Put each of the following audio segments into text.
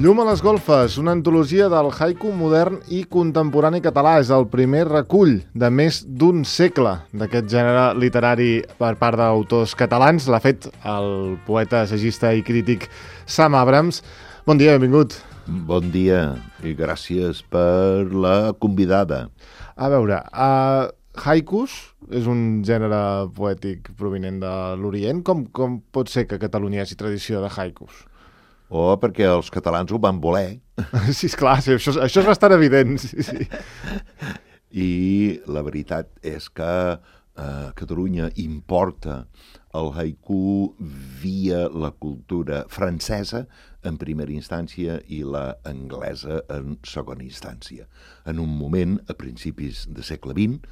Llum a les golfes, una antologia del haiku modern i contemporani català. És el primer recull de més d'un segle d'aquest gènere literari per part d'autors catalans. L'ha fet el poeta, assagista i crític Sam Abrams. Bon dia, benvingut. Bon dia i gràcies per la convidada. A veure, haikus és un gènere poètic provinent de l'Orient. Com pot ser que a Catalunya hi hagi tradició de haikus? Perquè els catalans ho van voler. Sí, esclar, sí, això és bastant evident. Sí. I la veritat és que Catalunya importa el haiku via la cultura francesa en primera instància i la anglesa en segona instància. En un moment, a principis del segle XX,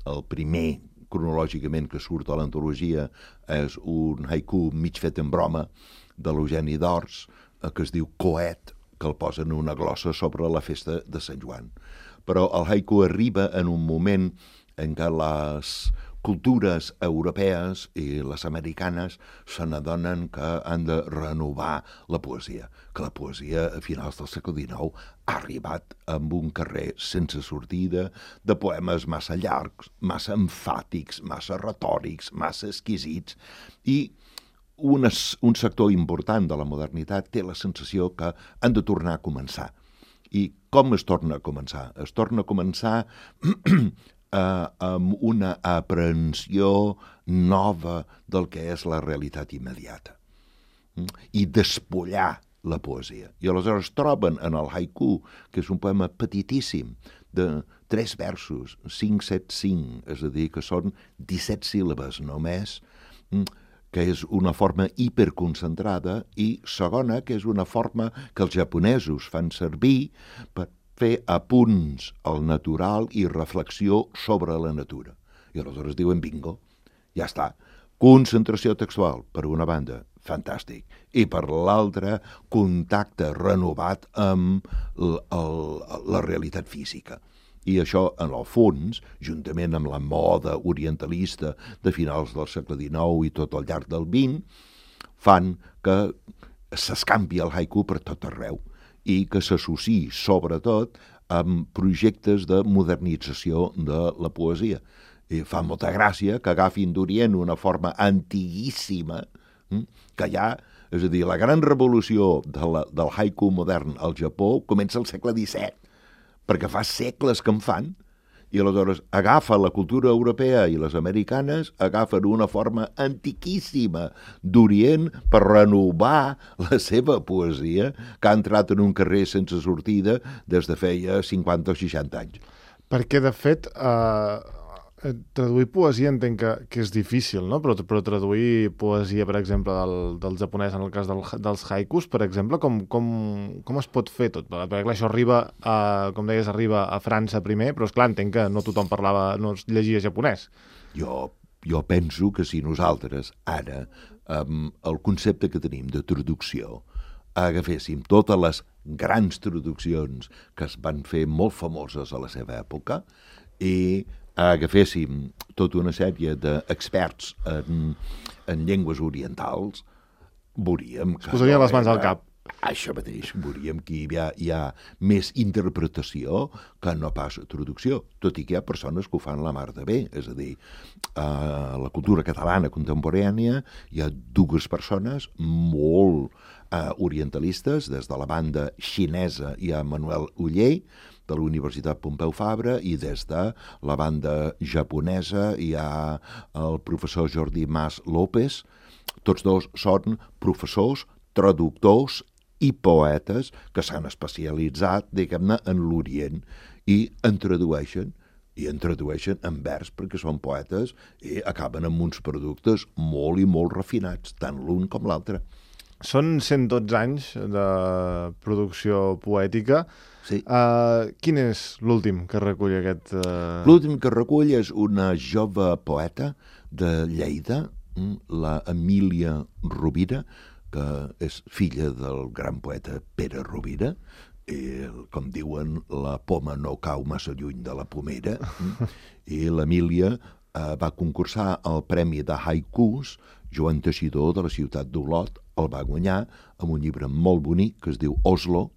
el primer cronològicament que surt a l'antologia és un haiku mig fet en broma de l'Eugeni d'Ors, que es diu Coet, que el posen una glossa sobre la festa de Sant Joan. Però el haiku arriba en un moment en què les cultures europees i les americanes se n'adonen que han de renovar la poesia, que la poesia a finals del segle XIX ha arribat amb un carrer sense sortida de poemes massa llargs, massa emfàtics, massa retòrics, massa exquisits, i un sector important de la modernitat té la sensació que han de tornar a començar. I com es torna a començar? Es torna a començar amb una aprehensió nova del que és la realitat immediata i despullar la poesia. I aleshores troben en el haiku, que és un poema petitíssim, de 3 versos, 5-7-5, és a dir, que són 17 síl·labes només, que és una forma hiperconcentrada, i segona, que és una forma que els japonesos fan servir per fer apunts al natural i reflexió sobre la natura. I aleshores diuen bingo, ja està. Concentració textual, per una banda, fantàstic, i per l'altra, contacte renovat amb la realitat física. I això, en el fons, juntament amb la moda orientalista de finals del segle XIX i tot al llarg del XX, fan que s'escampi el haiku per tot arreu i que s'associï, sobretot, amb projectes de modernització de la poesia. I fa molta gràcia que agafin d'Orient una forma antiguíssima que hi ha, és a dir, la gran revolució del haiku modern al Japó comença al segle XVII, perquè fa segles que en fan, i aleshores agafa la cultura europea i les americanes, agafen una forma antiquíssima d'Orient per renovar la seva poesia, que ha entrat en un carrer sense sortida des de feia 50 o 60 anys. Perquè, de fet, traduir poesia entenc que és difícil, no? Però traduir poesia, per exemple, del japonès, en el cas dels haikus, per exemple, com es pot fer tot? Perquè clar, això arriba, com deies, arriba a França primer, però esclar, entenc que no tothom no llegia japonès. Jo penso que si nosaltres ara, el concepte que tenim de traducció, agaféssim totes les grans traduccions que es van fer molt famoses a la seva època i agaféssim tota una sèrie d'experts en llengües orientals, veuríem que... Es posarien les mans al cap. Això mateix, veuríem que hi ha més interpretació que no pas traducció, tot i que hi ha persones que ho fan la mar de bé. És a dir, a la cultura catalana contemporània hi ha 2 persones molt orientalistes. Des de la banda xinesa hi ha Manuel Oller, de la Universitat Pompeu Fabra, i des de la banda japonesa hi ha el professor Jordi Mas López. Tots 2 són professors, traductors i poetes que s'han especialitzat, diguem-ne, en l'Orient i en tradueixen en vers perquè són poetes i acaben amb uns productes molt i molt refinats, tant l'un com l'altre. Són 112 anys de producció poètica. Sí. Quin és l'últim que recull aquest... L'últim que recull és una jove poeta de Lleida, la Emília Rovira, que és filla del gran poeta Pere Rovira, com diuen, la poma no cau massa lluny de la pomera, i l'Emília va concursar al Premi de Haikus. Joan Teixidor, de la ciutat d'Olot, el va guanyar amb un llibre molt bonic que es diu Oslo,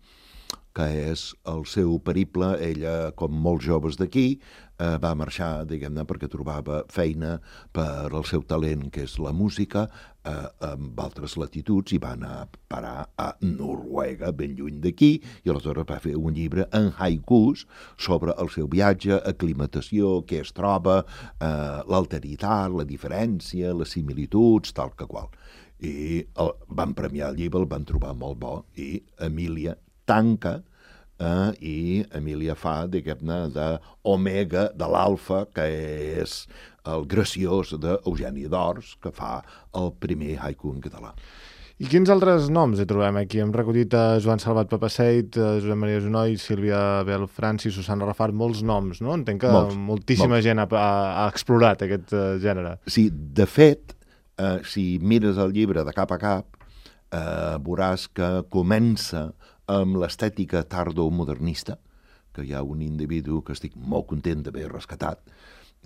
que és el seu periple. Ella, com molts joves d'aquí, va marxar, diguem-ne, perquè trobava feina per al seu talent, que és la música, amb altres latituds, i va anar a parar a Noruega, ben lluny d'aquí, i aleshores va fer un llibre en haikus sobre el seu viatge, aclimatació, què es troba, l'alteritat, la diferència, les similituds, tal que qual. I van premiar el llibre, el van trobar molt bo, i Emília tanca, i Emília fa, diguem-ne, d'Omega, de l'Alfa, que és el graciós d'Eugeni d'Ors, que fa el primer haiku en català. I quins altres noms hi trobem aquí? Hem recollit a Joan Salvat Papaseit, Josep Maria Junoy, Sílvia Bel Francis, Susana Rafart, molts noms, no? Entenc que moltíssima gent ha explorat aquest gènere. Sí, de fet, si mires el llibre de cap a cap, veuràs que comença amb l'estètica tardomodernista, que hi ha un individu que estic molt content d'haver rescatat,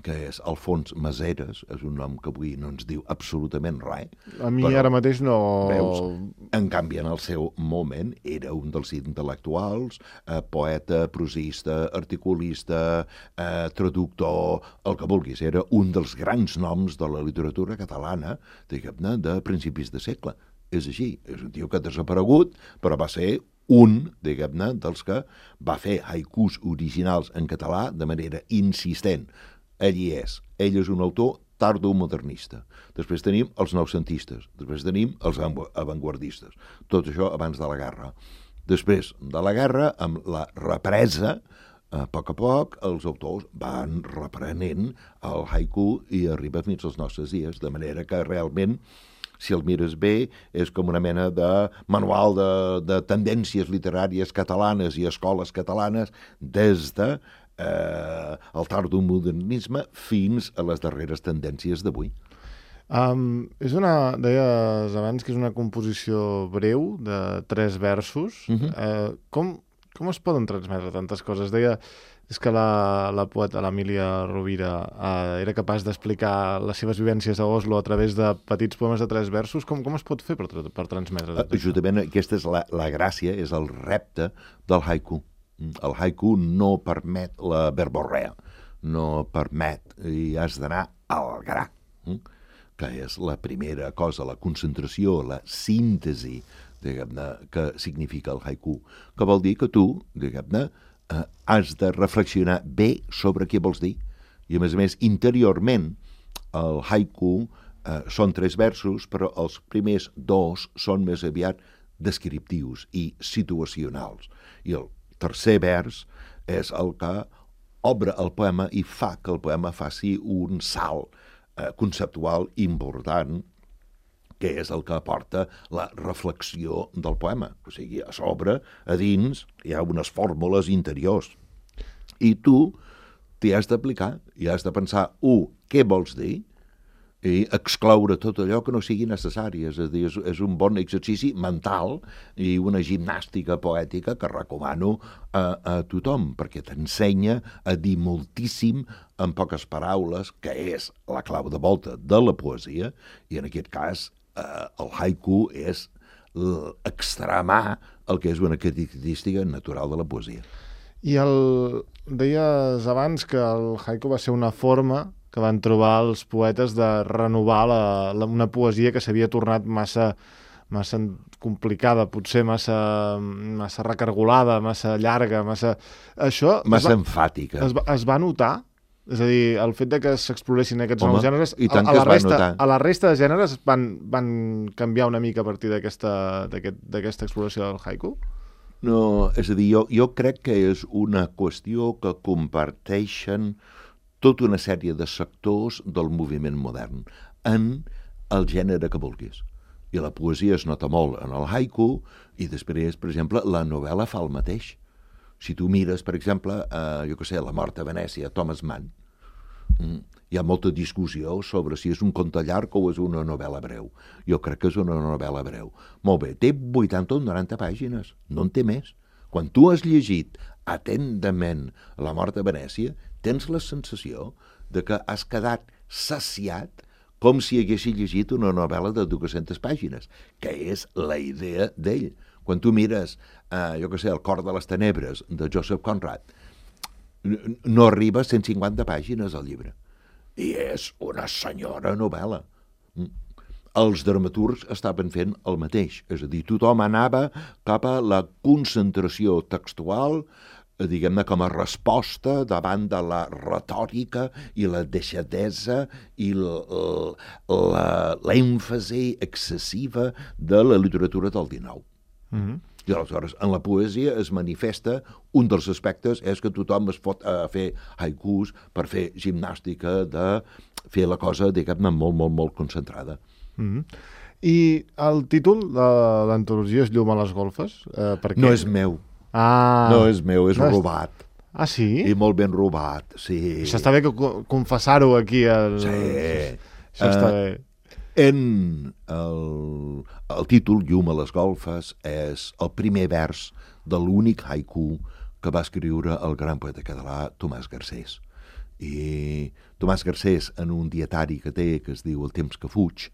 que és Alfons Maseres, és un nom que avui no ens diu absolutament res. A mi ara mateix no... Veus? En canvi, en el seu moment, era un dels intel·lectuals, poeta, prosista, articulista, traductor, el que vulguis. Era un dels grans noms de la literatura catalana, diguem-ne, de principis de segle. És així, és un tio que ha desaparegut, però va ser un, diguem-ne, dels que va fer haikus originals en català de manera insistent. Ell hi és. Ell és un autor tardomodernista. Després tenim els noucentistes. Després tenim els avantguardistes. Tot això abans de la guerra. Després de la guerra, amb la represa, a poc, els autors van reprenent el haiku i arriba fins als nostres dies, de manera que realment, si el mires bé, és com una mena de manual de tendències literàries catalanes i escoles catalanes des de el tardomodernisme fins a les darreres tendències d'avui. Deies abans que és una composició breu de 3 versos. Com es poden transmetre tantes coses? Deia és que la poeta, l'Emília Rovira, era capaç d'explicar les seves vivències a Oslo a través de petits poemes de 3 versos. Com es pot fer per transmetre tot això? Justament aquesta és la gràcia, és el repte del haiku. El haiku no permet la verborrea, no permet, i has d'anar al gra, que és la primera cosa, la concentració, la síntesi, diguem-ne, que significa el haiku, que vol dir que tu, diguem-ne, has de reflexionar bé sobre què vols dir. I, a més, interiorment, el haiku són 3 versos, però els primers 2 són més aviat descriptius i situacionals. I el tercer vers és el que obre el poema i fa que el poema faci un salt conceptual important, que és el que aporta la reflexió del poema. O sigui, a sobre, a dins, hi ha unes fórmules interiors. I tu t'hi has d'aplicar i has de pensar, què vols dir? I excloure tot allò que no sigui necessari. És a dir, és un bon exercici mental i una gimnàstica poètica que recomano a tothom, perquè t'ensenya a dir moltíssim en poques paraules, que és la clau de volta de la poesia, i en aquest cas el haiku és extremar el que és una característica natural de la poesia. I deies abans que el haiku va ser una forma que van trobar els poetes de renovar una poesia que s'havia tornat massa complicada, potser massa recargolada, massa llarga, Això... Massa enfàtica. Es va notar? És a dir, el fet de que s'exploressin aquests nous gèneres, a la resta de gèneres van canviar una mica a partir d'aquesta exploració del haiku? No, és a dir, jo crec que és una qüestió que comparteixen tota una sèrie de sectors del moviment modern en el gènere que vulguis. I la poesia es nota molt en el haiku i després, per exemple, la novel·la fa el mateix. Si tu mires, per exemple, La mort a Venècia, Thomas Mann, hi ha molta discussió sobre si és un conte llarg o és una novel·la breu. Jo crec que és una novel·la breu. Molt bé, té 80 o 90 pàgines, no en té més. quan tu has llegit atentament La mort de Venècia, tens la sensació de que has quedat saciat com si haguessis llegit una novel·la de 200 pàgines, que és la idea d'ell. Quan tu mires, jo què sé, El cor de les tenebres, de Joseph Conrad, no arriba a 150 pàgines al llibre. I és una senyora novel·la. Els dramaturgs estaven fent el mateix, és a dir, tothom anava cap a la concentració textual, diguem-ne, com a resposta davant de la retòrica i la deixadesa i l'èmfasi excessiva de la literatura del XIX. I aleshores, en la poesia es manifesta un dels aspectes és que tothom es pot fer haikus per fer gimnàstica de fer la cosa, diguem-ne, molt, molt, molt concentrada. I el títol de l'antologia és Llum a les golfes? No és meu. No és meu, és robat. Ah, sí? I molt ben robat, sí. Això està bé que confessar-ho aquí. Sí. Això està bé. El títol, Llum a les golfes, és el primer vers de l'únic haiku que va escriure el gran poeta català Tomàs Garcés. I Tomàs Garcés, en un dietari que té, que es diu El temps que fuig,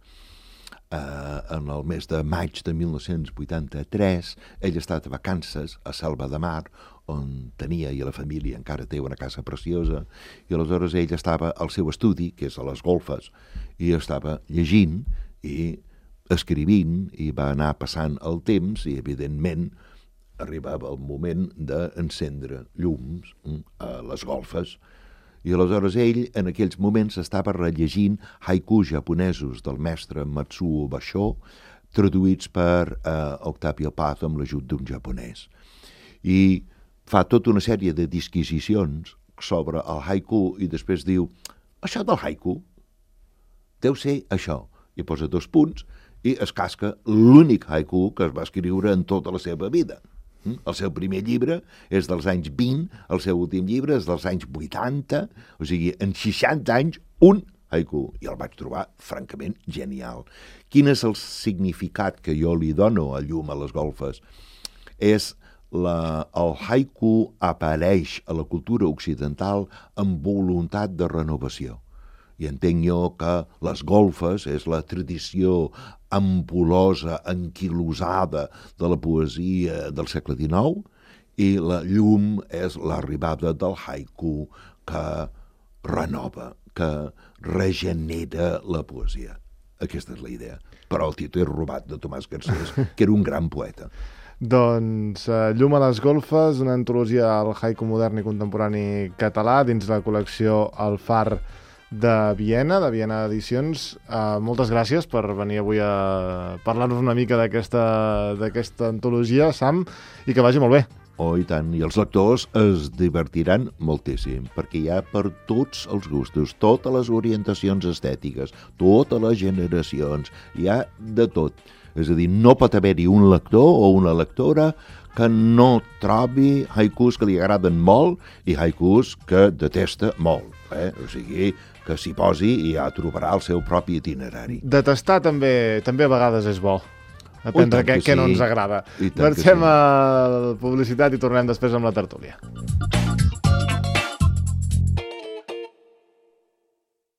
en el mes de maig de 1983, ell ha estat a vacances a Selva de Mar, on tenia, i la família encara té una casa preciosa, i aleshores ell estava al seu estudi, que és a les golfes, i estava llegint i escrivint, i va anar passant el temps, i evidentment arribava el moment d'encendre llums a les golfes. I aleshores ell, en aquells moments, estava rellegint haikus japonesos del mestre Matsuo Basho, traduïts per Octavio Paz amb l'ajut d'un japonès. I fa tota una sèrie de disquisicions sobre el haiku i després diu, això del haiku deu ser això. I posa 2 punts i es casca l'únic haiku que es va escriure en tota la seva vida. El seu primer llibre és dels anys 20, el seu últim llibre és dels anys 80, o sigui, en 60 anys, un haiku. I el vaig trobar francament genial. Quin és el significat que jo li dono a Llum a les golfes? El haiku apareix a la cultura occidental amb voluntat de renovació. I entenc jo que les golfes és la tradició ampulosa, anquilosada de la poesia del segle XIX i la llum és l'arribada del haiku que renova, que regenera la poesia. Aquesta és la idea. Però el títol és robat de Tomàs Garcés, que era un gran poeta. Doncs Llum a les golfes, una antologia al haiku modern i contemporani català dins la col·lecció El Far de Viena Edicions. Moltes gràcies per venir avui a parlar-nos una mica d'aquesta antologia, Sam, i que vagi molt bé. Oh, i tant. I els lectors es divertiran moltíssim, perquè hi ha per tots els gustos, totes les orientacions estètiques, totes les generacions, hi ha de tot. És a dir, no pot haver-hi un lector o una lectora que no trobi haikus que li agraden molt i haikus que detesta molt. O sigui, que s'hi posi i ja trobarà el seu propi itinerari. Detestar també a vegades és bo. Aprendre què no ens agrada. Marxem a publicitat i tornem després amb la tertúlia.